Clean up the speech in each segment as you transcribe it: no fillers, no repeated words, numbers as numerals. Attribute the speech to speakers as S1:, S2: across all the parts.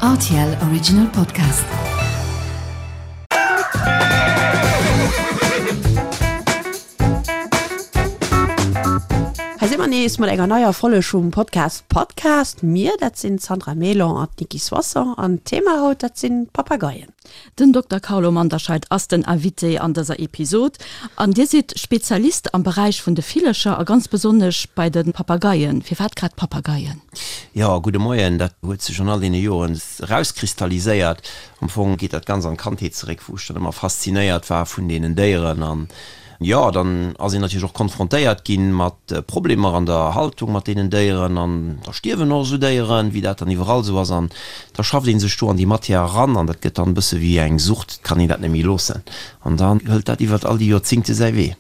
S1: Rtl Original Podcast.
S2: Hei si mer nees mat enger neier Folleg vum Podcast Podcast. Mir, dat sinn d'Sandra Mélan an d'Nicky Soisson an d'Thema haut, dat sinn d'Papageien.
S3: Den Dokter Carlo Manderscheid ass den Invité an dëser Episod. An Dir sidd Spezialist am Beräich vun de Villercher a ganz besonnesch bei de Papageien. Firwat grad Papageien?
S4: Jo, gudde Moien. Dat huet sech an all deene Joren erauskristalliséiert. Am Fong geet dat ganz an d'Kandheet zeréck, wou ech dann ëmmer faszinéiert war vun deenen Déieren an Jo, dann ass een natierlech och konfrontéiert gi mat Problemer an der Haltung mat deenen Déieren an da stierwen och esou Déieren, wéi dat dann iwwerall esou ass an da schafft ee sech do an déi Matière eran an dat gëtt dann e bësse wéi eng Sucht, et kann een dat net méi loossen an dann hëlt dat iwwert all déi Joerzingte säi Wee.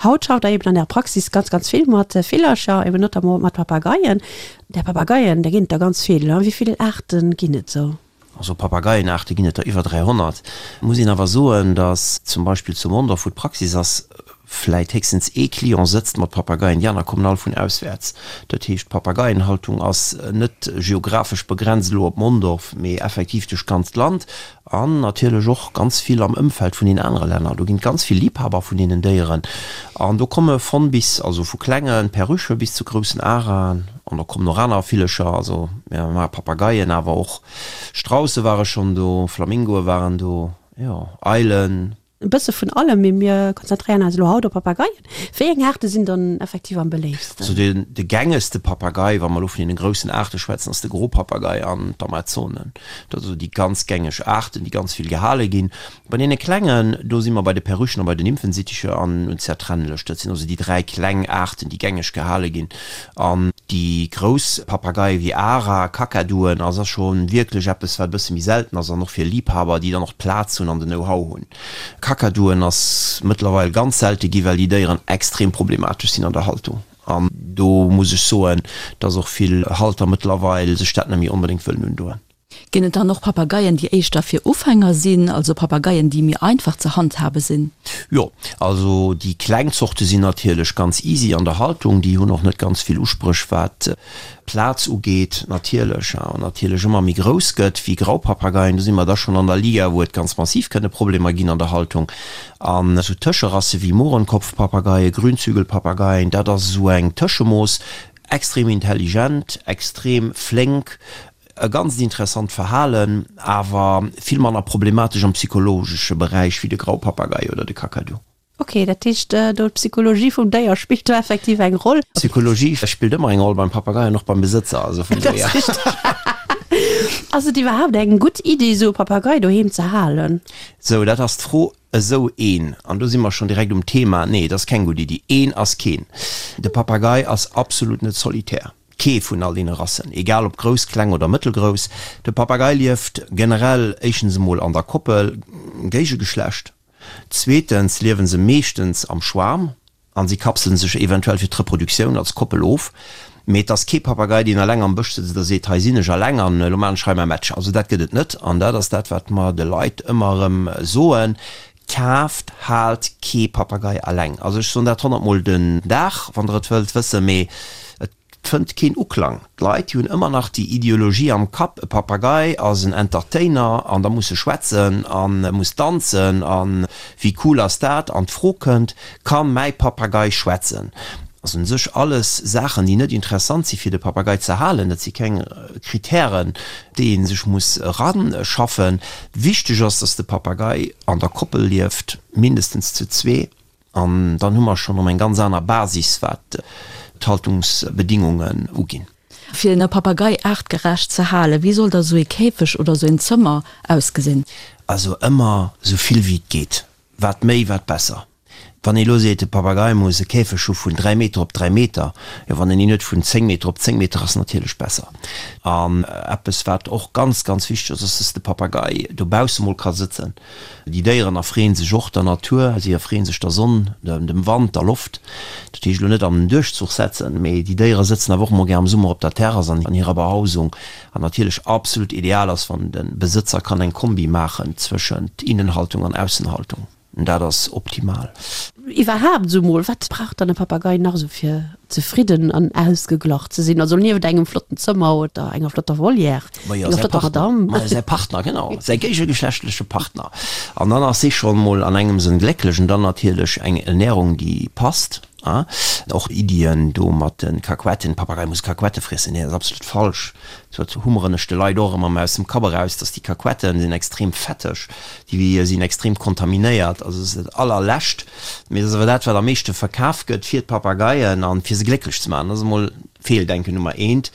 S2: Haut schafft Der eben an Ärer Praxis ganz, ganz vill mat Villercher, eben notamment mat Papageien. Där Papageien, där ginn et der ganz vill, wéi vill Aarte ginn et esou?
S4: Also Papageienaarte ginn et der iwwer 300. Muss een awer soen, datt zum Beispill zu Mondorf, wou d'Praxis ass, vläit héchstens ee Client sëtzt mat Papageien, déi aner kommen all vun auswäerts. Dat heescht, d'Papageienhaltung ass net geographesch begrenzt elo op Mondorf, mee effektiv duerch d'ganzt Land an natierlech och ganz vill am Ëmfeld vun den anere Länner. Do ginn et ganz vill Liebhaber vun deenen Déieren an do komme von bis, also vu klenge Perruchë bis zu groussen Araen. An da kommen och aner Villecher, also mir maache Papageien, awer och Strausse ware schonn do, Flamingoe waren do, jo, Eilen.
S2: E bësse vun allem, mee mir konzentréieren eis elo haut op Papageien. Wéi eng Aarte sinn dann effektiv am beléiftsten?
S4: Also den, de gängegste Papagei, wa mer elo vun deene groussen Aarte schwätzen, ass de Gropapagei an d'Amazonen. Dat si sou déi ganz gängeg Aarten, déi ganz vill gehale ginn. Bei deene klengen, do si mer bei de Perruchen a bei den Nymphensitticher an unzertrennlech. Dat sinn also déi 3 kleng Aarten, déi gängeg gehale ginn. An déi grouss Papageie wéi Ara, Kakaduen, ass ass scho wierklech eppes, wat e bësse méi selten ass an och fir Liibhaber, déi dann och d'Plaz hunn an den Know-how hunn. Kakaduen ass mëttlerweil ganz selte gi, well déi Déieren extrem problematesch sinn an der Haltung. An do muss ech soen, dass och vill Halter mëttlerweil sech dat net méi onbedéngt wëllen undoen.
S3: Ginn et dann och Papageien, déi éischter fir Ufänger sinn, also Papageien, déi méi einfach ze handhabe sinn?
S4: Jo, also déi kleng Zorte sinn natierlech ganz easy an der Haltung. Déi hunn och net ganz vill Uspréch wat Plaz ugeet natierlech. An natierlech ëmmer méi grouss gëtt wéi Graupapageien, do si mer da schonn an der Liga, wou et ganz massiv kënne Problemer ginn an der Haltung. An esou Tëscherasse wéi Mohrenkopfpapageien, Grünzügelpapageien, dat ass esou eng Tëschemooss, extrem intelligent, extrem flénk, E ganzt interessant Verhalen, awer vill manner problematesch am psychologesche Beräich wéi de Graupapagei oder de Kakadu.
S2: Ok, dat heescht do d'Psychologie vum Déier spillt do effektiv eng Roll.
S4: D'Psychologie spillt ëmmer eng Roll beim Papagei an och beim Besëtzer, also vum Déier.
S2: Dat ass richteg. Ass et iwwerhaapt eng gutt Iddi, esou e Papagei doheem ze halen?
S4: Sou, dat ass d'Fro. Esou een, an do si mer schonn direkt um Thema, nee, et ass keng gutt Iddi. Een ass keen. De Papagei ass absolut net solitär. Kee vun all deene Rassen, egal ob grouss, kleng oder mëttelgrouss. De Papagei lieft generell éischtens emol an der Koppel, Géigegeschlecht. Zweetens liewe se meeschtens am Schwarm an si kapselen sech eventuell fir d'Reproduktioun als Koppel of. Mee et ass kee Papagei, deen eleng am Bësch sëtzt a seet, hei sinn ech eleng an elo maachen ech hei mäi Match. Also dat gëtt et net an dat ass dat, wat mer de Leit ëmmer erëm soen, Kaaft, haalt kee Papagei eleng. Also ech soen dat honnertmol den Dag, wann der et wëllt wëssen, mee et fënnt keen Uklang. D'Leit, déi hunn ëmmer nach déi Ideologie am Kapp, e Papagei ass en Entertainer an da muss e schwätzen an e muss danzen a wéi cool ass dat? An d'Fro kënnt, Ka mäi Papagei schwätzen? Also un sech alles Saachen, déi net interessant si fir de Papagei ze halen. Dat si keng Kritären, déi ee sech muss eranschaffen. Wichteg ass, dass de Papagei an der Koppel lieft, mindestens zu zwee. An dann hu mer schonn erëm eng ganz aner Basis, wat d'Haltungsbedingungen uginn.
S3: Fir e Papagei aartgerecht ze halen, wéi soll da sou ee Käfeg oder sou een Zëmmer ausgesinn?
S4: Also ëmmer sou vill wéi et geet. Wat méi, wat besser. Wann ee lo seet, de Papagei muss e Käfeg hu vun 3 Meter op 3 Meter, jo wann en een huet vun 10 Meter op 10 Meter ass natierlech besser. An eppes wat och ganz ganz wichteg ass, ass dass de Papagei dobausse mol ka sëtzen. Déi Déieren erfreeën sech och der Natur, si erfreeën sech der Sonn, dem Wand, der Loft. Dat heescht elo net an den Duerchzuch setzen, mee déi Déiere sëtzen awer och mol gär am Summer op der Terrass an hirer Behausung. An natierlech absolut ideal ass wann de Besëtzer kann eng Kombi maachen zwëschent Innenhaltung an Aussenhaltung. Dat ass optimal.
S2: Iwwerhaapt esou mol, wat brauch dann e Papagei nach esou fir zefridden an ausgeglach ze sinn? Also nieft engem flotten Zëmmer oder enger flotter Volière,
S4: Majo, enger säi flotter Partner, Madame. Majo, säi Partner, genau, säi géigegeschlechtleche Partner. An dann ass si scho mol an engem Sënn glécklech. An dann natierlech eng Ernährung, déi passt. Och Iddien do mat de Kakuetten, Papagei muss Kakuette friessen, nee, dat ass absolut falsch. Dat hummeren ech de Leit och ëmmer aus dem Kapp eraus, dass déi Kakuetten sinn extrem fetteg, déi sinn extrem kontaminéiert, also dat ass dat allerlescht. Mee dat ass awer dat, wat am meeschte verkaf gëtt fir d'Papageien an fir se glécklech ze maachen. Dat ass emol Feeldenken Nummer eent.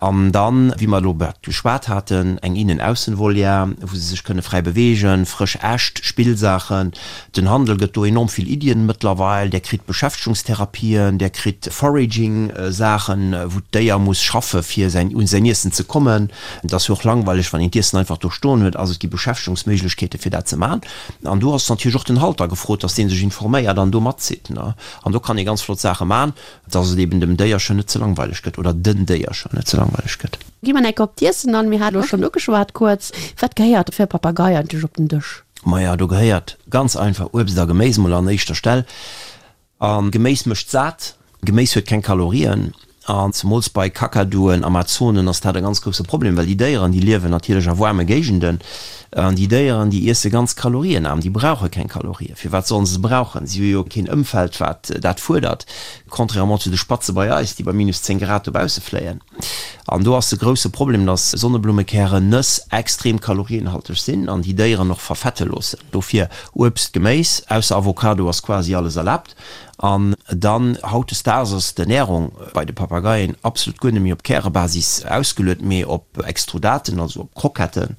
S4: An dann, wéi mer elo grad geschwat haten, eng Innen-Aussen-Volière, wou se sech kënne fräi beweegen, frësch Äscht, Spillsaachen. Den Handel gëtt do enorm vill Iddien mëttlerweil. Där kritt Beschäftegungstherapien, där kritt Foraging-Saachen, wou d'Déier muss schaffe fir säin un säin Iessen ze kommen. Et ass jo och langweileg, wann een d'Iessen einfach do stoen huet. Also et gi Beschäftegungsméiglechkeete fir dat ze maachen. An do ass natierlech och den Halter gefrot, dass dee sech informéiert an do matzitt. An do kann ee ganz flott Saache maachen. Dass et eben dem Déierchen net ze langweileg gëtt oder den Déiercher net ze langweileg gëtt.
S2: Gi mer enk op d'Iessen an. Mir hate lo schonn ugeschwat kuerz. Wat gehéiert fir e Papagei eigentlech op den Dësch?
S4: Maja, do gehéiert ganz einfach Uebst a Geméis mol an éischter Stell. A Geméis mécht sat. Geméis huet keng Kalorien. An zemools bei Kakaduen, Amazonen ass dat e ganz grousse Problem, well déi Déieren, déi liewen natierlech a waarme Géigenden. An déi Déieren, déi iesse ganz kalorienaarm, déi brauche keng Kalorien. Firwat sollen se se brauchen? Si hu jo keen Ëmfeld, wat dat fuerdert, contrairement zu de Spatze bei eis, déi bei minus 10 Grad dobausse fléien. An do ass de grousse Problem, dass Sonneblummekärren, Nëss extrem kalorienhalteg sinn an déi Déieren och verfette loossen. Dofir Uebst, Geméis, ausser Avocado ass quasi alles erlaabt. An dann, hautdesdaags ass d'Ernärung bei de Papageien absolut guer net méi op Kärebasis ausgeluet, mee op Extrudaten, also op Kroketten,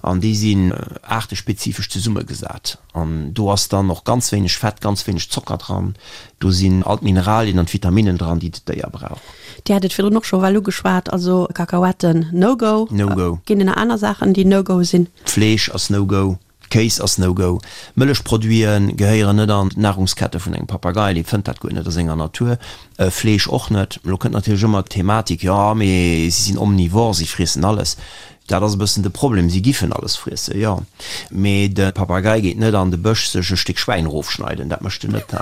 S4: an déi sinn aartespezifesch zesummegesat. An do ass dann och ganz wéineg Fett, ganz wéineg Zocker dran. Do sinn all d'Mineralien an d'Vitaminnen dran, déi d'Déier brauch.
S2: Dir hat et virdrun och scho well ugeschwat, also Kakaoetten, no go.
S4: No go.
S2: Ginn et nach aner Saachen, déi no go sinn?
S4: Fleesch ass no go. Kéis ass no go. Mëllechproduite gehéieren net an d'Nahrungskette vun engem Papagei, dee fënnt dat guer net a senger Natur. Fleesch och net. Elo kënnt natierlech ëmmer d'Thematik, jo mee si sinn omnivore, si friessen alles. Dat ass e bëssen de Problem, si giffen alles friessen, jo, mee de Papagei geet net an de Bësch sech e Stéck Schwäin erofschneiden, dat mécht en net.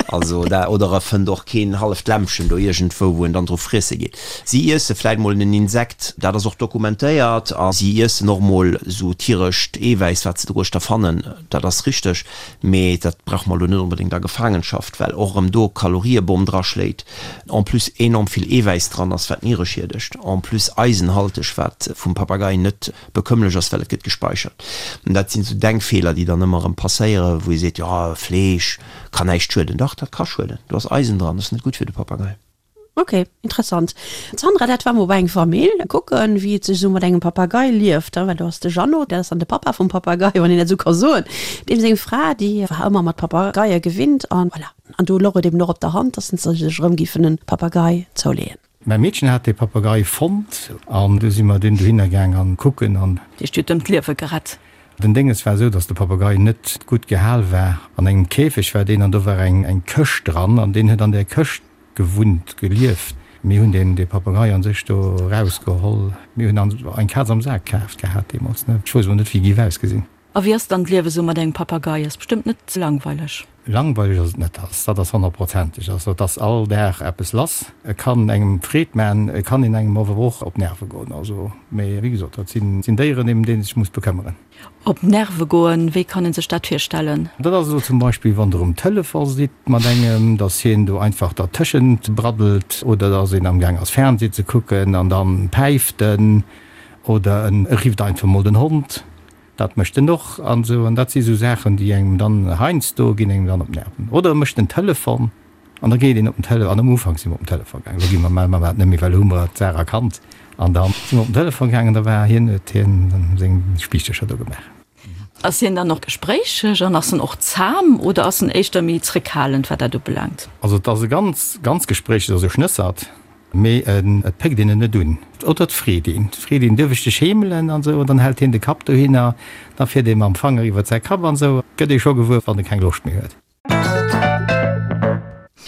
S4: Also da, oder e fënnt och keen halleft Lämmchen do iergendwou, wou en dann dru friesse geet. Si iesse vläit mol en Insekt, dat ass och dokumentéiert, a si iessen och mol esou tierescht Eewäiss, wat se doruechter fannen, dat ass richteg, mee dat brauche mer elo net onbedéngt a Gefaangenschaft, well och erëm do Kaloriebom draschléit, en plus enorm vill Eewäiss dran ass, wat d'Niere schiedegt, en plus eisenhalteg, wat vum Papagei net bekëmmlech ass, well et gëtt gespeichert. Dat sinn esou Denkfeeler, déi dann ëmmer erëm passéieren, wou ee seet, jo, Fleesch kann näischt schueden. Dach, dat ka schueden, do ass Eisen dran, dat ass net gutt fir de Papagei.
S2: Ok, interessant. Sandra, dat war mol bei eng Famill kucken, wéi et sech esou mat engem Papagei lieft, well do ass de Jeannot, dat ass dann de Papa vum Papagei, wann een dat esou ka soen, deem seng Fra, déi war ëmmer mat Papageie gewinnt an voilà. An do louch et eben och op der Hand, dass se sech erëm giffen e Papagei zouleeën.
S5: Mäi Meedchen hat dee Papagei fonnt an du si mer dunn dohinner gaang an kucken an.
S3: Heescht, dir hutt ëm d'Liewe gerett?
S5: Den Dénges war esou, dass de Papagei net gutt gehal war. An engem Käfeg war deen an do war eng eng Këscht dran an deen huet an där Këscht gewunnt, gelieft. Mir hunn deen dee Papagei an sech do erausgeholl. Mir hunn an eng Kaz am Sak kaaft gehat deemools, ne. Ech wousst emol net wéi géif ausgesinn.
S3: A wéi ass dann d'Liewe sou mat engem Papagei? Ass bestëmmt net langweileg.
S5: Langweileg ass et net, dat ass honnertprozenteg. Also et ass all Dag eppes lass. Et kann engem Freed man, et kann een engem awer och op d'Nerve goen. Also, mee wéi gesot, dat sinn Déieren, ëm déi een sech muss bekëmmeren.
S3: Op d'Nerve goen, wéi kann een sech dat virstellen?
S5: Dat ass elo zum Beispill, wann Der um Telefon sidd mat engem, dass hien do einfach dertëschent braddelt oder dass een amgaang ass Fernseh ze kucken an dann päift en oder en rifft einfach mol den Hond. Dat mécht en och an esou. An dat si sou Saachen, déi engem dann heiansdo ginn engem dann op d'Nerven. Oder e mécht den Telefon an da geet een op den Tele, an am Ufank si mer op den Telefon gaangen, elo gi mer, maache mer dat net méi, well elo hu mer d'Saach erkannt. An da si mer op den Telefon gaangen, da war hien, huet hien seng Spiichtercher do gemaach.
S3: Ass hien dann och gespréicheg an ass en och zam oder ass en éischter méi zréckhalend, wat dat ubelaangt?
S5: Also et ass e ganz, ganz gespréicheg, also e Schnëssert. Mee et péckt een en net un. Oder et freet een. Et freet een, Duerf ech dech heemelen? an esou. An dann hält hien de Kapp dohinner. Da fiert ee mam Fanger iwwert säi Kapp an esou. Gëtt ee scho gewuer, wann e keng Loscht méi huet.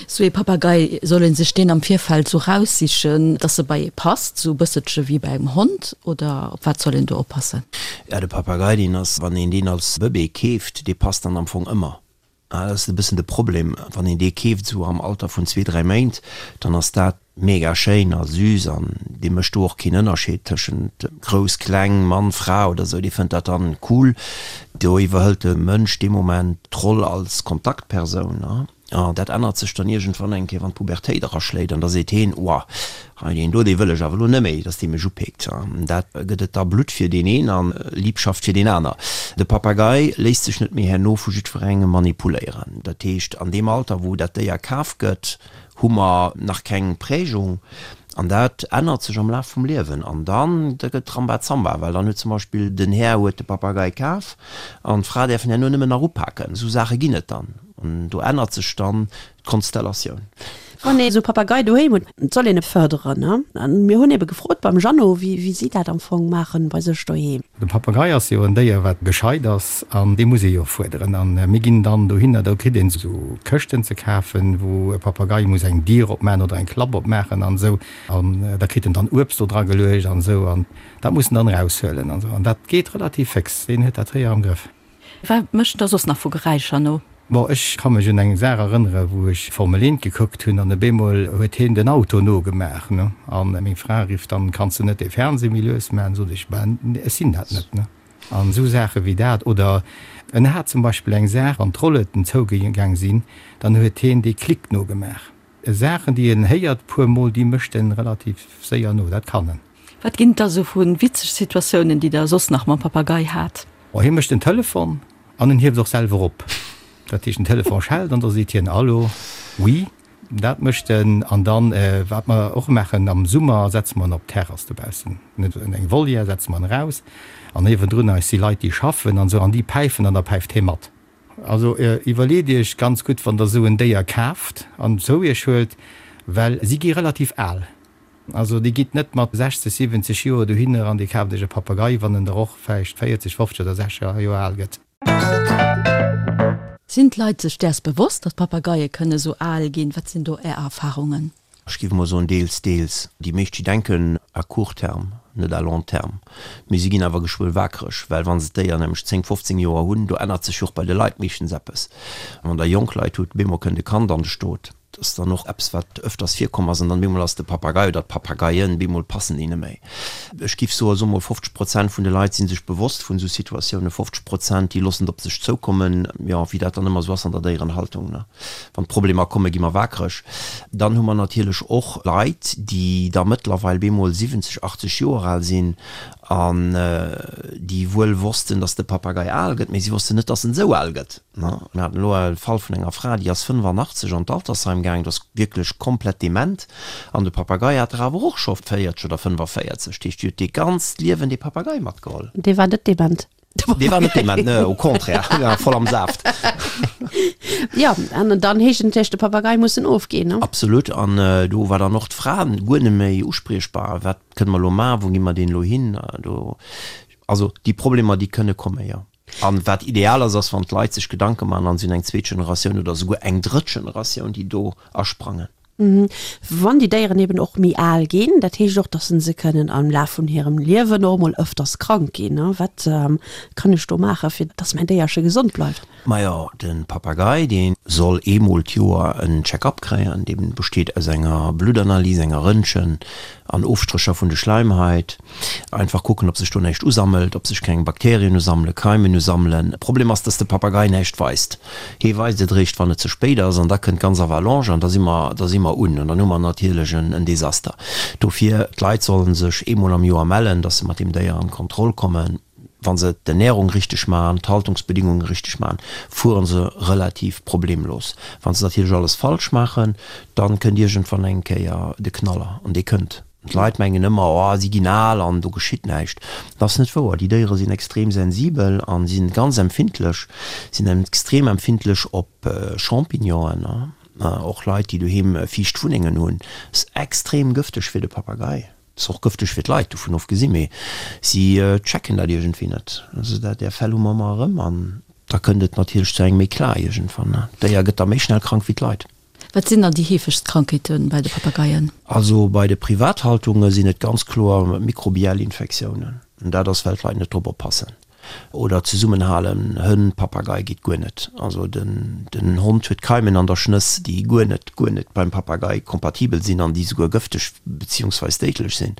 S3: Sou ee Papagei, soll ee sech deen am Virfeld sou raussichen, dass e bei ee passt, sou e bësselche wéi bei engem Hond? Oder op wat soll een do oppassen?
S4: Ja, de Papagei, deen ass, wann een deen als Bëbee keeft, dee passt dann am Fong ëmmer. Dat ass e bëssen de Problem, wann een dee keeft esou am Alter vun zwee, dräi Méint, dann ass dat mega schéin a süß an dee mécht do och keen Ënnerscheed tëschent grouss, kleng, Mann, Fra oder esou, dee fënnt dat dann cool. Do iwwerhëlt de Mënsch dee Moment d'Roll als Kontaktpersoun. An dat ännert sech dann iergendwann eng Kéier, wann d'Pubertéit eraschléit an da seet heen, Oua, hei deen do, dee wëll ech awer elo net méi, dass dee mech upeekt. An dat gëtt et da Blutt fir deen een a Liebschaft fir deen aner. De Papagei léisst sech net méi herno vu jiddwerengem manipuléieren. Dat heescht, an deem Alter, wou dat Déier kaf gëtt, hu mer nach keng Prägung an dat ännert sech am Laf vum Liewen an dann da gëtt Rambazamba, well dann huet zum Beispill den Här huet de Papagei kaf an d'Fra däerf en herno nëmmen nach upaken. Esou Saache ginn et dann an do ännert sech dann d'Konstellatioun.
S2: Wann ee sou Papagei doheem huet, et soll een e fërderen, ne? An mir hunn ebe gefrot beim Jeannot, wéi wéi si dat am Fong maachen bei sech doheem.
S5: De Papagei ass jo en Déier wat gescheit ass an dee muss ee jo fuerderen. An mir ginn dann dohinner, do kritt een esou Këschten ze kafen, wou e Papagei muss eng Dier opmaachen oder eng Klapp opmaachen an esou. An da kritt en dann Uebst do dra geluecht an esou an dat muss en dann eraushuelen an esou. An dat geet relativ féx, deen huet dat séier am Grëff.
S3: Wat mécht en da soss nach vu Geräischer no?
S5: Bon, ech ka mech un eng Saach erënnere wou ech Formel Eent gekuckt hunn an op eemol huet hien den Auto nogemaach, ne? An meng Fra rifft dann, Kanns de net dee Fernseh méi lues maachen? Sot ech, Ben, ech sinn dat net, ne? An esou Saache wéi dat. Oder en hat zum Beispill eng Saach, wann d'Rolleten zougaang sinn, dann huet hien dee Klick nogemaach. Saachen, déi en héiert puer mol, déi mécht en relativ séier no, dat kann en.
S3: Wat ginn et da sou vu witzeg Situatiounen, déi der soss nach mam Papagei hat?
S5: Oh, hie mécht den Telefon an en hieft och selwer op. Dat heescht, den Telefon schellt an da seet hien, Allo, oui. Dat mécht en. An dann, wat mer och maachen, am Summer setze mer en op d'Terrass dobaussen, net an eng Volière, setze mer en eraus an niewendrun eis si Leit, déi schaffen an esou, an déi päifen an da päift hie mat. Also iwwerleet iech ganz gutt, wann der esou en Déier kaaft an zou iech huelt, well si gi relativ al. Also dir gitt net mat 60, 70 Joer dohinner an dir kaaft iech e Papagei, wann en der och vläicht 40, 50 oder 60 Joer al gëtt.
S3: Sinn d'Leit sech däers bewosst, datt Papageie kënne sou al ginn? Wat sinn do Är Erfarungen?
S4: Ech géif emol soen, deels, deels. Déi meescht, déi denken à court terme, net à long terme. Mee si ginn awer geschwë wakereg, well wa se d'Déier nämlech 10, 15 Joer hunn, do ännert sech jo och bei de Leit meeschtens eppes. Wann Der jonk Leit hutt, bemol kënnt e Kand an de Stot. Dat ass dann och eppes, wat ëfters virkomm ass. An dann bemol ass de Papagei oder d'Papageien, bemol passen déi net méi. Ech giff soen, so mol 50 Prozent vun de Leit si sech bewosst vun esou Situatiounen, 50 Prozent, déi loossen et op sech zoukommen. Jo, wéi dat dann ëmmer esou ass an der Déierenhaltung, ne? Wann d'Problemer kommen, gi mer wakereg. Dann hu mer natierlech och Leit, déi da mëttlerweil bemol 70, 80 Joer al sinn an déi wuel wossten, dass de Papagei al gëtt, mee si wossten net, dass en esou al gëtt. Mir haten elo e Fall vun enger Fra, déi ass 85 an d'Altersheim gaang, dat ass wierklech komplett dement, an de Papagei hat der awer och scho 40 oder 45. Dat heescht, déi huet dee ganzt Liewen dee Papagei matgeholl.
S2: Dee war net dement,
S4: de Papagei. Dee war net dement, ne, au contraire, dee war voll am Saaft.
S2: Jo, an dann heescht et natierlech, de Papagei muss en ofginn, ne?
S4: Absolut, an do war dann och d'Fra guer net méi uspriechbar, Wat kënne mer elo maachen, wou gi mer deen elo hin? Do, also déi Problemer, déi kënne kommen, jo. An wat ideal ass, ass wann d'Leit sech Gedanke maachen an si hunn eng zweet Generatioun oder esouguer eng drëtt Generatioun, déi do asprangen.
S2: Wann déi Déieren eben och méi al ginn, dat heescht och, dass se kënnen am Laf vun hirem Liewen och emol ëfters krank ginn. Wat kann ech do maachen, fir dass mäin Déierche gesond bleift?
S4: Majo, de Papagei, dee soll eemol d'Joer en Check-up kréien. Dee besteet aus enger Bluttanalys, enger Röntgen an Ofstrécher vun de Schleimhait. Einfach kucken, ob sech do näischt usammelt, ob sech keng Bakterien usammelen, Keimen usammelen. Problem ass, dass de Papagei näischt weist. Hee weist et eréischt, wann et ze spéit ass, an da kënnt d'ganz Avalanche an da si mer, da si mer un an dann hu mer natierlech en Desaster. Dofir, d'Leit sollen sech eemol am Joer mellen, dass se mat deem Déier an d'Kontroll kommen. Wa se d'Ernährung richteg maachen, d'Haltungsbedingunge richteg maachen, fuere se relativ problemlos. Wa se natierlech alles falsch maachen, dann kënnt iergendwann eng Kéier de Knaller, an dee kënnt. D'Leit mengen ëmmer, oh si ginn al an do geschitt näischt. Dat ass net wouer. Déi Déiere sinn extrem sensibel a si ganz empfindlech, sinn extrem empfindlech op Champignonen. Och Leit, déi doheem fiicht Wunnengen hunn, ass extrem gëfteg fir de Papagei. Ass och gëfteg fir d'Leit, dovun ofgesinn, mee si checken dat iergendwéi net. Also dat, där Fäll hu mer ëmmer erëm an da kënnt et natierlech zu engem Eclat iergendwann. D'Déier gëtt da méi schnell krank wéi d'Leit.
S3: Wat sinn dann déi heefegst Krankheete bei de Papageien?
S4: Also bei de Privathaltunge sinn et ganz kloer mikrobiell Infektiounen. Dat ass well d'Leit net drop oppassen. Oder zesummenhalen, Hënn, Papagei geet guer net. Also den den Hond huet Keimen an der Schnëss, déi guer net, guer net beim Papagei kompatibel sinn an déi souguer gëfteg beziehungsweis déidlech sinn.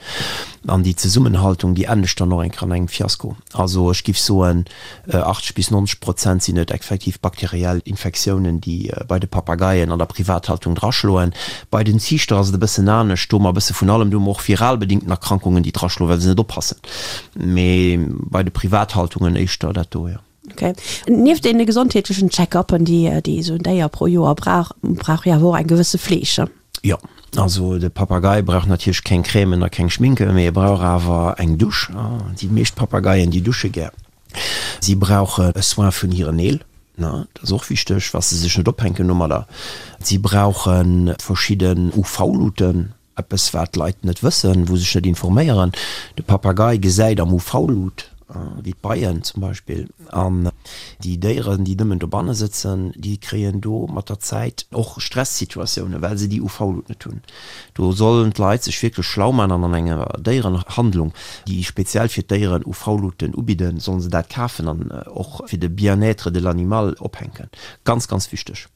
S4: An déi Zesummenhaltung, déi endegt dann och eng Kéier an engem Fiasko. Also ech giff soen, 80 bis 90 Prozent sinn et effektiv bakteriell Infektiounen, déi bei de Papageien an der Privathaltung draschloen. Bei den Ziichter ass et e bëssen anescht, do hu mer e bësse vun allem, do hu mer och viral bedingten Erkrankungen, déi draschloen, well se net oppassen. Mee bei de Privathaltungen éischter dat do, jo.
S2: Ok. Nieft deene gesondheetlechen Check-uppen, déi déi esou en Déier pro Joer brauch, brauch jo awer och eng gewësse Fleeg.
S4: Jo, also de Papagei brauch natierlech keng Crèmen a keng Schminke, mee e brauch awer eng Dusch. Déi meescht Papageien, déi dusche gär. Si brauche e Soin vun hiren Neel, dat ass och wichteg, wa se sech net ophänken domadder. Si brauche verschidden UV-Luuten, Eppes wat d'Leit net wëssen, wou sech net informéieren, de Papagei gesäit am UV-Lut, wéi d'Beien zum Beispill, an déi Déieren, déi nëmmen dobanne sëtzen, déi kréien do mat der Zäit och Stressituatiounen, well se déi UV-Lut net hunn. Do sollen d'Leit sech wierklech schlau man an an enger Déierenhandlung, déi speziell fir d'Déieren UV-Luten ubidden, sollen se dat kafen an och fir de Bien-être de l'animal ophänken. Ganz, ganz wichteg.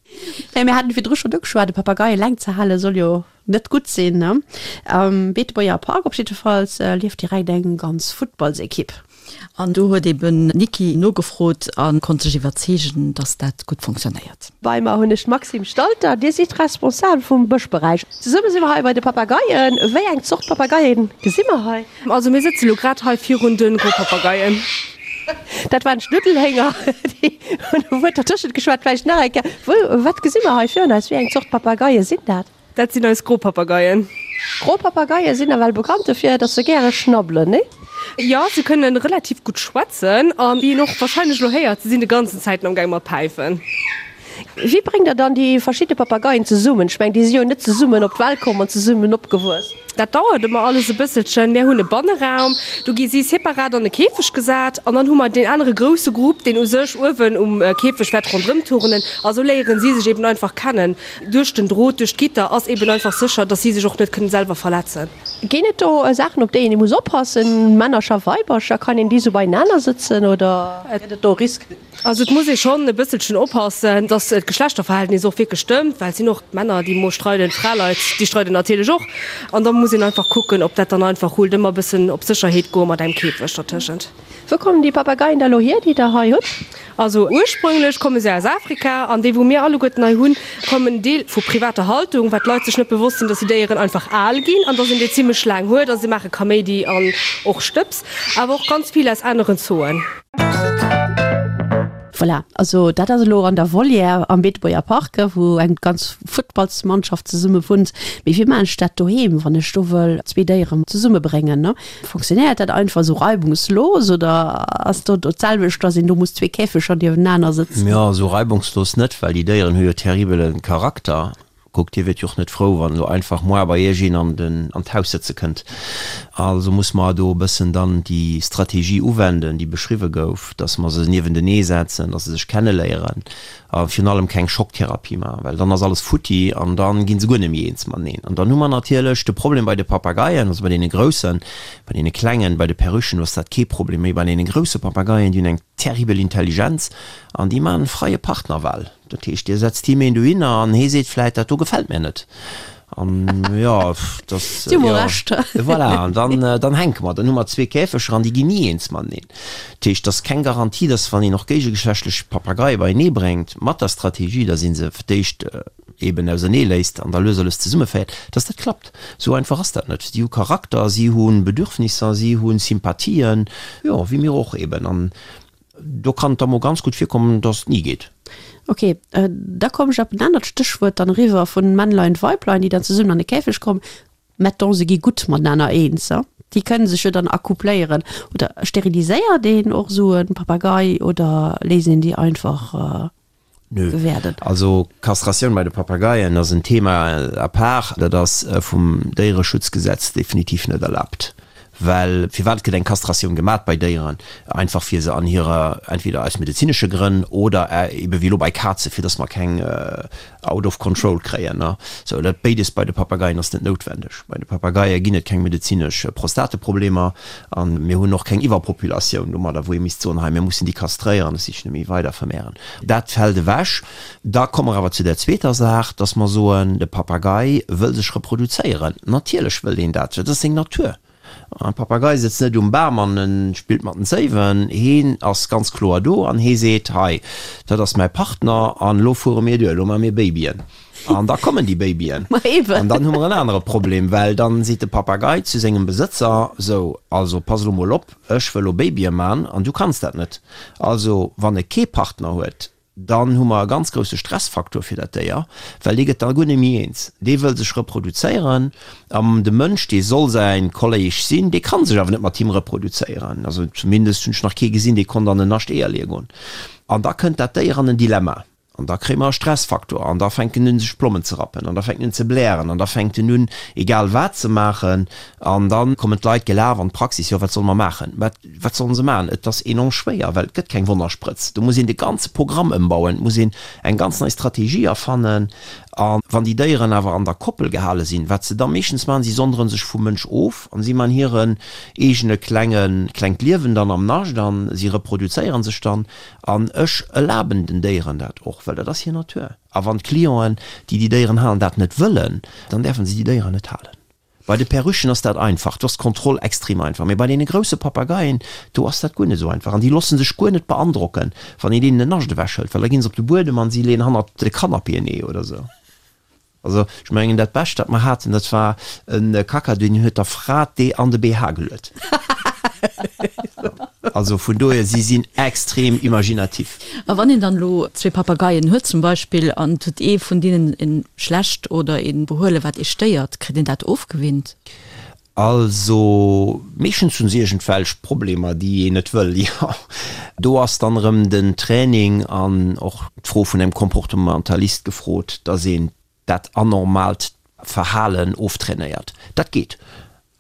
S2: Mir haten virdru schonn ugeschwat, e Papagei eleng ze hale soll jo net gutt sinn, ne? Am Beetebuerger Park op jiddefalls lieft direkt eng ganz Futtballsekipp.
S3: An do huet eben d'Niki nogefrot a konnt sech iwwerzeegen, dass dat gutt funktionéiert.
S2: Bei mer hunn ech d'Maxime Stalter, Dir sidd Responsabel vum Bëschberäich. Zesumme si mer hei bei de Papageien. Wéi eng Zort Papageien gesi mer hei?
S6: Also mir sëtze lo grad hei virun de Gropapageien.
S2: Dat waren d'Schnuddelhénger, déi hunn e Wuert dertëschent geschwat. Vläicht nach eng Kéier, wou, wat gesi mer hei virun eis? Wéi eng Zort Papageie sinn dat?
S6: Dat sinn eis Gropapageien.
S2: Gropapageie sinn nawell bekannt dofir, dass se gäre schnabbelen, nee?
S6: Jo, se kënne relativ gutt schwätzen an wéi een och warscheinlech elo héiert, se sinn de ganzen Zäiten amgaang mat päifen.
S2: Wéi bréngt der dann déi verschidde Papageien zesummen? Ech mengen, déi si jo net zesummen op d'Welt komm an zesummen opgewuess.
S6: Dat dauert ëmmer alles e bësselchen. Mär hunn e Banneraum, do gi si separat an e Käfeg gesat an dann hu mer deen anere grousse Grupp, deen u sech uewen um Käfeg wäert ronderëm turnen a sou léieren si sech eben einfach kennen. Duerch den Drot, duerch d'Gitter ass eben einfach sécher, dass si sech och net kënnen selwer verletzen.
S2: Ginn et do Saachen, op déi een muss oppassen, Männercher, Weibercher, kann een déi sou beienaner sëtzen oder gëtt et do Risk?
S6: Also et muss ee schonn e bësselchen oppassen, dass d'Geschlechterverhältnis och wierklech stëmmt, well et sinn och Männer, déi mol streiden, d'Fraleit, déi streiden natierlech och. An da muss een einfach kucken, ob dat dann einfach rullt. Ëmmer e bëssen op Sécherheet goe mat engem Käfeg dertëschent.
S2: Wou kommen déi Papageien da lo hier, déi der hei hutt?
S6: Also ursprünglech komme se aus Afrika an déi wou mir alleguerten hei hunn, kommen Deel vu privater Haltung, well d'Leit sech net bewosst sinn, dass déi Déieren einfach al ginn an dass een déi zimmlech laang huet a se maache Kaméidi an och Stëbs, awer och ganz vill aus aneren Zooen.
S2: Voilà, also dat ass elo an der Volière am Beetebuerger Park, wou eng ganz Futtballsmannschaft zesumme wunnt. Mee wéi maachen ech dat doheem, wann ech do wëll zwee Déieren zesummebréngen? Fonctionnéiert dat einfach esou reibungslos oder ass do do d'selwecht, dass een do muss zwee Käfeger niewenaner sëtzen?
S4: Jo, esou reibungslos net, well déi Déieren hu jo terribele Charakter. Kuckt, Dir wiert jo och net frou, wann elo einfach moar bei Iech een an den an d'Haus sëtze kënnt. Also muss mer do e bëssen dann déi Strategie uwenden, déi beschriwwe gouf, dass mer se niewentenee setzen, dass se sech kenneléieren a virun allem keng Schocktherapie maachen, well dann ass alles futti an da gi se guer net méi eens mateneen. An dann hu mer natierlech de Problem bei de Papageien, also bei deene groussen, bei deene klengen, bei de Perruchen, do ass dat kee Problem, mee bei deene grousse Papageien, déi hunn eng terribel Intelligenz an déi maachen freie Partnerwahl. Dat heescht, Dir setzt him een dohinner an hee seet vläit, dat do gefält mir net. An jo, dat,
S2: Si hu mol Recht.
S4: Voilà, an dann, dann hänke mer. Dann hu mer zwee Käfeger an déi ginn ni eens mateneen. Dat heescht, et ass keng Garantie, dass wann een och géigegeschlechtlech Papageie beienee bréngt, mat der Strategie, dass ee se fir d'éischt eben ausernee léisst an da lues a lues zesummeféiert, dass dat klappt. Esou einfach ass dat net. Si hu Charakter, si hu Bedürfnisser, si hu Sympathien, jo, wéi mir och eben. An Do kann et da mol ganz gutt virkommen, dass et ni geet.
S2: Ok, da komm ech op en anert Stéchwuert dann eriwwer vun Männlein, Weiblein, déi dann zesummen an de Käfeg kommen. Mettons, se gi gutt matenaner eens, déi kënne sech jo dann accoupléieren. Oder steriliséiert een och esou e Papagei oder léisst een déi einfach
S4: Nö.
S2: gewäerden?
S4: Also Kastratioun bei de Papageien ass en Thema à part. Dat ass vum Déiereschutzgesetz definitiv net erlaabt. Well firwat gëtt eng Kastratioun gemat bei Déieren? Einfach fir se an hirer, entweder aus medezinesche Grënn oder ebe wéi elo bei Kaze fir dass mer keng out of control kréien. Sou, dat béides bei de Papageien ass net noutwendeg. Bei de Papageie ginn et keng medezinesch Prostateproblemer a mir hunn och keng Iwwerpopulatioun domadder, wou ee misst soen, hei mir mussen déi kastréieren, dass si sech net méi weider vermehren. Dat fält ewech. Da komme mer awer zu der zweeter Saach, dass mer soen, de Papagei wëll sech reproduzéieren. Natierlech wëll deen dat, dat ass seng Natur. E Papagei sëtzt net um Bam an e spillt mat den Zéiwen. Heen ass ganz kloer do an hee seet, Hei, dat ass mäi Partner an elo fuere mir duer, elo maache mir Babyen. An da kommen déi Babyen. An dann hu mer en anere Problem, well dann seet de Papagei zu sengem Besëtzer, Sou, also pass elo mol op, ech wëll elo Babye man an du kanns dat net. Also wann e kee Partner huet, Dann hu mer e ganz grousse Stressfaktor fir dat Déier, well dee gëtt da guer net méi eens. Dee wëll sech reproduzéieren an de Mënsch, dee soll säi Kolléig sinn, dee ka sech awer net mat him reproduzéieren. Also zumindest hunn ech nach kee gesinn, dee konnt an en Nascht Eeër leeë goen. An da kënnt dat Déier an en Dilemma an da kréie mer e Stressfaktor an da fänkt en un sech d'Plommen ze rappen an da fänkt en un ze blären an da fänkt en un egal wat ze maachen an da kommen d'Leit gelaf an d'Praxis, jo wat solle mer maachen? Wat Wat sollen se maachen? Et ass enorm schwéier, well et gëtt keng Wonnersprëtz. Do muss een de ganze Programm ëmbauen, et muss een eng ganz nei Strategie erfannen. A wann déi Déieren awer an der Koppel gehale sinn, wat se da meeschtens maachen, si sondere sech vum Mënsch of an si man hiren eegene klenge klengt Liewen dann am Nascht an si reproduzéiere sech dann. An ech erlaben den Déieren dat och, well dat ass hir Natur. A wann d'Clienten, déi déi Déieren halen, dat net wëllen, dann däerfe se déi Déieren net halen. Bei de Perruchen ass dat einfach, do ass d'Kontroll extrem einfach, mee bei deene grousse Papageien, do ass dat guer net esou einfach an déi loosse sech guer net beandrocken, wann een deenen en Nascht ewechhëlt, well da ginn se op de Buedem an si leeën hannert de Canapéen ee oder esou. Also ech mengen dat Bescht wat mer haten, dat war e Kakadu, deen huet der Fra d'Ee an de BH geluet. Also vun dohier, si sinn extrem imaginatif.
S3: A wann een dann elo zwee Papageien huet zum Beispill an et huet ee vun deenen e schlecht oder e Behuelen, wat ee stéiert, kritt een dat ofgewinnt?
S4: Also meeschtens hunn se iergendwelch Problemer, déi een net wëll, jo. Do ass dann erëm den Training an och d'Fro vun engem Comportementalist gefrot, dass een dat anormaalt Verhalen oftrainéiert. Dat geet.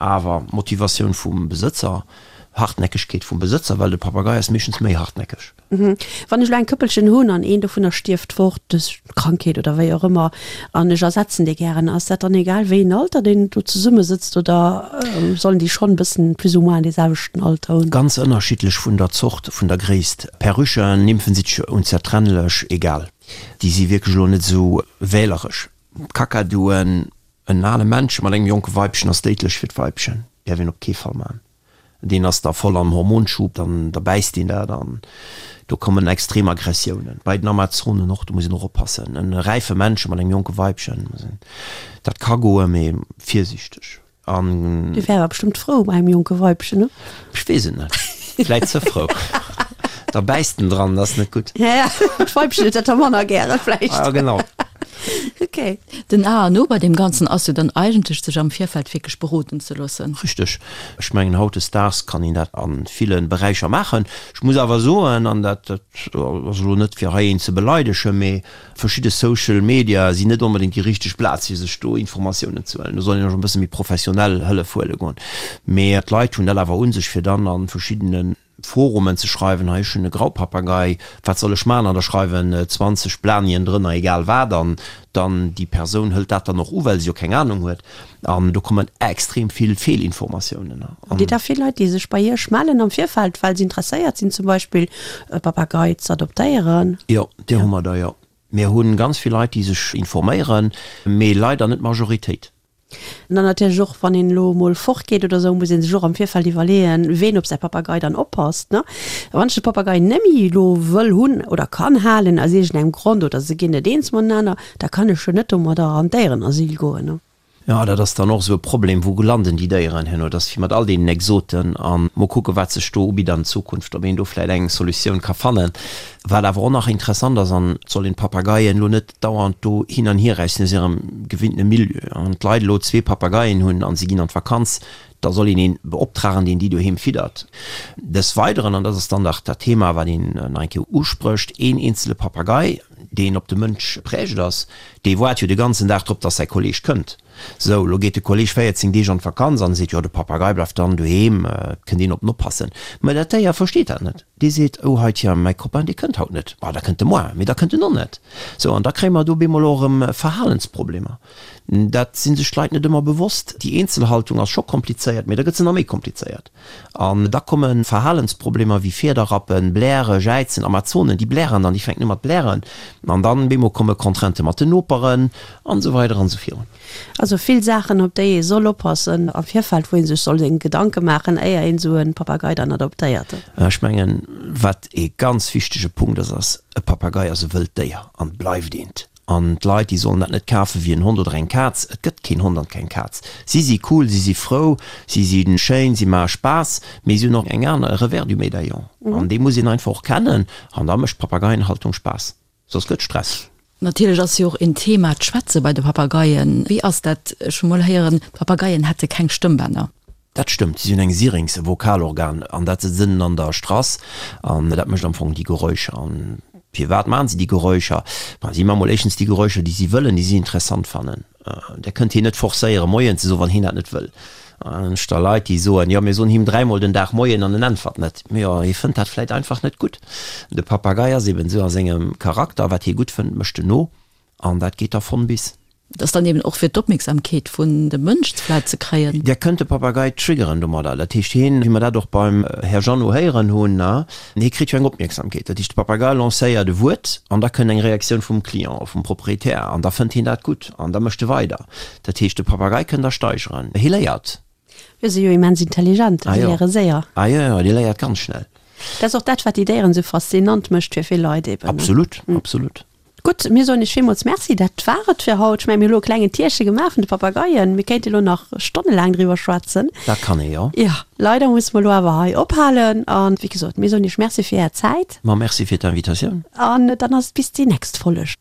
S4: Awer Motivatioun vum Besëtzer, Hartnäckegkeet vum Besëtzer, well de Papagei ass meeschtens méi hartnäckeg.
S2: Wann ech elo eng Këppelchen hunn an een dovunner stierft fort duerch Krankheet oder wéi och ëmmer an ech ersetzen dee gären, ass dat dann egal wéi een Alter deen do zesummesëtzt oder sollen déi schonn e bëssen plus ou moins dee selwechten Alter hunn?
S4: Ganz ënnerschiddlech vun der Zort, vun der Gréisst. Perruchen, Nymphen si onzertrennlech, egal. Déi si wierklech elo net esou wähleresch. D'Kakaduen, En ale Männche mat engem jonke Weibchen ass déidlech fir d'Weibchen. Däerf een op kee Fall man. Deen ass da voll am Hormonschub, dann da bäisst deen dat an do kommen extrem Aggressiounen. Bei den Amazonen och, do muss een och oppassen. En räife Männche mat engem jonke Weibchen, dat ka goen, mee virsiichteg.
S2: An. Dee wär awer bestëmmt frou bei engem jonke Weibchen, ne?
S4: Ech weess et net. Vläit ze frou. Da bäisst en dran, dat ass net gutt.
S2: Ja, ja, d'Weibchen huet dat da manner gäre vläicht.
S4: Ja, genau.
S2: Okay.
S3: Den A an O bei deem Ganzen ass jo dann eigentlech, sech am Virfeld wierklech beroden ze loossen.
S4: Richteg. Ech mengen, hautdesdaags kann een dat a ville Beräicher maachen. Ech muss awer soen, an dat ass elo net fir hei een ze beleidegen, mee Verschidde Social Media sinn net onbedéngt déi richteg Plaz fir sech do Informatiounen ze huelen. Do soll een och e bësse méi professionell Hëllef huele goen. Mee d'Leit hunn dat awer un sech fir dann a verschiddene Forumen ze schreiwen, hei ech hunn e Graupapagei, wat soll ech maachen? An da schreiwen 20 Blanien drënner, egal wat, an dann déi Persoun hëlt dat dann och u, well se jo keng Anung huet. An do kommen extrem vill Feelinformatiounen.
S2: Hutt Dir da vill Leit, déi sech bei Iech mellen am Virfeld, well se interesséiert sinn, zum Beispill e Papagei z'adoptéieren?
S4: Jo, déi hu mer der, jo. Mir hu ganz vill Leit, déi sech informéieren, mee leider net d'Majoritéit.
S2: An dann natierlech och, wann een elo emol fortgeet oder esou, muss ee sech och am Virfeld iwwerleeën, ween op säi Papagei dann oppasst, ne? Wann ech de Papagei nemme elo wëll hunn oder kann halen aus iergendengem Grond oder se ginn net eens matenaner, da kann ech jo net domadder an d'Déierenasyl goen, ne?
S4: Jo, dat ass dann och esou e Problem, wou landen déi Déieren herno? Dat ass wéi mat all deenen Exoten. A mol kucken, wat sech do ubitt an Zukunft, ob een do vläicht eng Solutioun ka fannen. Wat awer och nach interessant ass, an et soll een d'Papageien elo net dauernd do hin an hier räissen aus hirem gewinntene Milieu, wann d'Leit elo zwee Papageien hunn a si ginn an d'Vakanz, da soll een een beoptragen, deen déi doheem fiddert. Des Weideren, an dat ass dann nach dat Thema, wat een nach eng Kéier usprécht, een eenzele Papagei, deen op de Mënsch geprägt ass, dee waart jo de ganzen Dag drop, dass säi Kolleeg kënnt. Sou, lo geet de Kolleg 14 Deeg an d'Vakanz an e seet, jo, de Papagei bleift dann doheem, et kënnt een op en oppassen. Mä dat Déier versteet dat net. Dee seet, oh hei, tja, mäi Copain, dee kënnt haut net. Ma da kënnt e moar, mee da kënnt en och net. Sou, an da kréie mer do bemol och erëm Verhalensproblemer. Dat si sech d'Leit net ëmmer bewosst. Déi Eenzelhaltung ass scho komplizéiert, mee da gëtt se nach méi komplizéiert. An da komme Verhalensproblemer wéi Fiederrappen, Bläre, Jäizen, Amazonen, déi blären dann, déi fänken u mat blären. An dann bemol komme Contraintë mat den Noperen an esou weider an esou virun.
S2: Also vill Saachen, op déi ee soll oppassen am Virfeld, wou ee sech soll seng Gedanke maachen, éier een esou e Papagei dann adoptéiert.
S4: Ech mengen, wat ee ganz wichtege Punkt ass, ass, e Papagei ass e wëllt Déier an bleift eent. An d'Leit, déi sollen dat net kafe wéi en Hond oder eng Kaz. Et gëtt keen Hond an keng Kaz. Si si cool, si si frou, si si schéin, si maache Spaass, mee si hunn och eng aner, e Revers du médaillon. An dee muss een einfach och kennen. An da mécht d'Papageienhaltung Spaass. Soss gëtt Stress.
S3: Natierlech ass jo och een Thema d'Schwätze bei de Papageien. Wéi ass dat? Ech hu mol héieren, d'Papageien hätte keng Stëmmbänner.
S4: Dat stëmmt, si hunn eng Syrinx, e Vokalorgan, an dat sëtzt ënnen an der Strass an dat mécht am Fong déi Geräuscher. An firwat maachen si déi Geräuscher? Ma si maache mol éischtens déi Geräuscher, déi si wëllen, déi si interessant fannen. Där kënnt hien net forcéieren, Moien ze soen, wann hien dat net wëll. Ech da Leit, déi soen, jo, mir soen him dräimol den Dag Moien an en äntwert net. Jo, hie fënnt dat vläit einfach net gutt. De Papagei ass eben esou a sengem Charakter, wat hie gutt fënnt, mécht en no. An dat geet da von bis.
S3: Et ass dann eben och fir d'Opmierksamkeet vun dem Mënsch vläit ze kréien.
S4: Där kënnt de Papagei triggeren domadder. Dat heescht, hien, wéi mer dat och beim Här Jeannot héieren hunn, hie kritt jo eng Opmierksamkeet. Dat heescht, de Papagei lancéiert e Wuert an da kënnt eng Reaktioun vum Client, vum Proprietär an da fënnt hien dat gutt an da mécht e weider. Dat heescht, de Papagei kënnt der steigeren. Hie léiert.
S2: Jo, si jo immens intelligent,
S4: si
S2: léiere séier.
S4: Ah jo, jo, déi léiert ganz schnell.
S2: Dat ass och dat, wat déi Déieren esou faszinant mécht fir vill Leit eben.
S4: Absolut, absolut.
S2: Gutt, mir soen iech villmools Merci. Dat war et fir haut. Ech mengen, mir hu lo e klengen Tierche gemaach vun de Papageien. Mir kéinte lo nach stonnelaang driwwer schwätzen.
S4: Dat kann ee jo.
S2: Jo, leider musse mer lo awer hei ophalen. An wéi gesot, mir soen iech Merci fir är Zäit.
S4: Ma merci fir d'Invitatioun.
S2: An dann ass et bis déi nächst Folleg.